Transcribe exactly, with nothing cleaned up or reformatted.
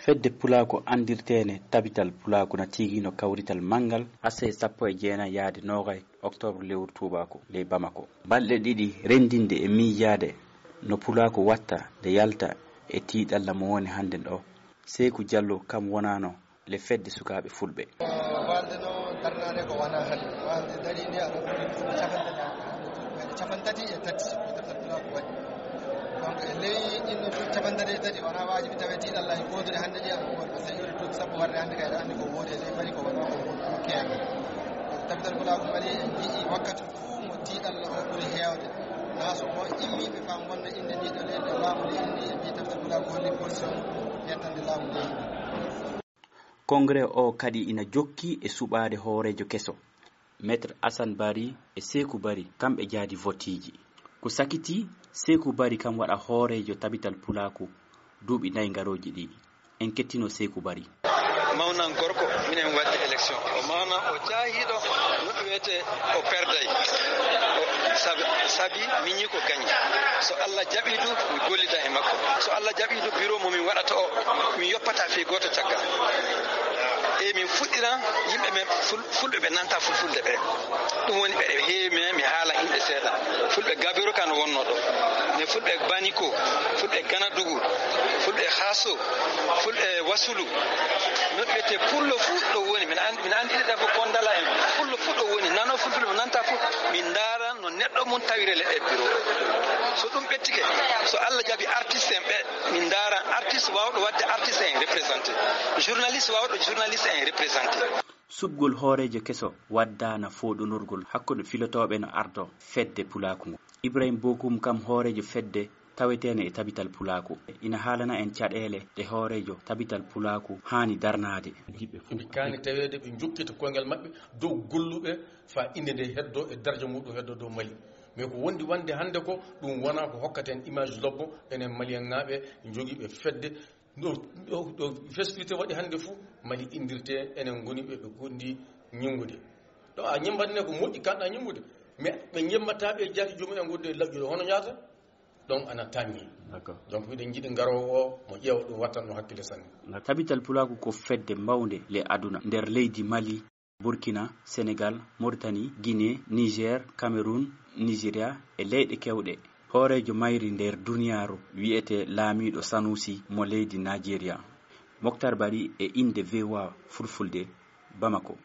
Fedde Pulaaku anndirteende Tabital Pulaaku na tiigino kawrital manngal. Aset sappo e jeenayi yahde noogay oktoobar lewru tuubaaku ley Bamako. Balɗe ɗiɗi renndinde e miijaade no Pulaaku watta nde yalta e tiiɗalla mo woni hannde ɗo. Seeku Jallo kam wonaano le fedde sukaaɓe fulɓe. Walde no darnaade ko wona hannde. Walde dariinde aɗa ɓuri duuɓi capantati, hannde duuɓi meɗe capantati e tati ko deftal Pulaaku waɗi. Donc e ley ɗin ɗo duuɓi capantati e tati wona waajibi tawe tiiɗalla e goodude hannde ƴeewa ko woni. Parce que iwde duuɓi sappo warde hannde kay aɗa anndi ko woodi e ley Mali ko wona ko woodi keewi. Donc Tabital Pulaaku Mali en njii wakkati fuu mo tiiɗalla o ɓuri heewde. Naa so ko immiiɓe faa ngonna innde ndii ɗo leydi ɗo laamu ndi inni e mbii Tabital Pulaaku holli position yettande laamu ndi. Kongre o kadi ina jokki e suɓaade hooreejo keso. Maître Assane Bari e Seeku Bari kamɓe jaadi votiiji. Ko sakiti, Seeku Bari kam waɗa hooreejo Tabital Pulaaku duuɓi nayi ngarooji ɗi. En kettino Seeku Bari. Mawnan gorko, minen waɗde élection. O mawnan, o jaahiiɗo, no ɗum wiyetee, o perday. O sabi, sabi miñi ko gañi. So Allah jaɓii du, mi gollida e makko. So Allah jaɓii du, biro mo min waɗata o, min yoppata fii gooto caggal. E min fuɗɗira yimɓe men ful-, fulɓe ɓe nanta fulfulde ɓe. Ɗum woni ɓe heewi, mais mi haala yimɓe seeɗa. Fulɓe Gabiru kan wonno ɗo. Mais fulɓe Baniko, fulɓe Ganadugu, fulɓe Haso, fulɓe Wasulu. No ɓe te pullo fuu ɗo woni. Min an-, min anndi ɗiɗa fof Kondala en. Pullo fuu ɗo woni. Nano fulfulde mo nanta fuu. Min ndaara no neɗɗo mum tawire le e biro. So ɗum ɓettike, so Allah jaɓi artiste en ɓe, min ndaara artiste waawɗo waɗde artiste en représenté. Journaliste waawɗo journaliste en représenté. Suɓgol hooreejo keso waddaana fooɗonorgol hakkunde filotooɓe no ardo fedde pulaaku ngu. Ibrahim Bokum kam hooreejo fedde taweteene e Tabital Pulaaku. Ina haalana en caɗeele ɗe hooreejo Tabital Pulaaku haani darnaade. Ɓe kaani taweede ɓe njokkita koyngal maɓɓe dow golluɓe faa innde nde heddo e daraja muɗum heddo dow Mali. Mais ko wondi wonde hannde ko ɗum wonaa ko hokkata en image lobbo enen Malienŋaaɓe jogiiɓe fedde. Ɗo, ɗo, ɗo festiwite waɗi hannde fuu, Mali inndirte, enen ngoni ɓe, ɓe gondi ñinngude. Ɗo a ñembat ne ko moƴƴi, kanɗa ñinngude. Mais ɓe ñemmataa ɓe jaati joomum en wonde laƴƴude hono ñaata, donc ana tanni. D'accord. Donc miɗen njiɗi ngaroowo o, mo ƴeewa ɗum wattan ɗum hakkille sanne. Tabital Pulaaku ko fedde mawnde le aduna, nder leydi Mali, Burkina, Senegal, Mauritanie, Guinée, Niger, Cameroun, Nigeria e leyɗe keewɗe. Hooreejo mayri nder duniyaaru wi'etee laamiiɗo Sanusi mo leydi Nigeria. Moktar Bari e innde V O A Fulfulde, Bamako.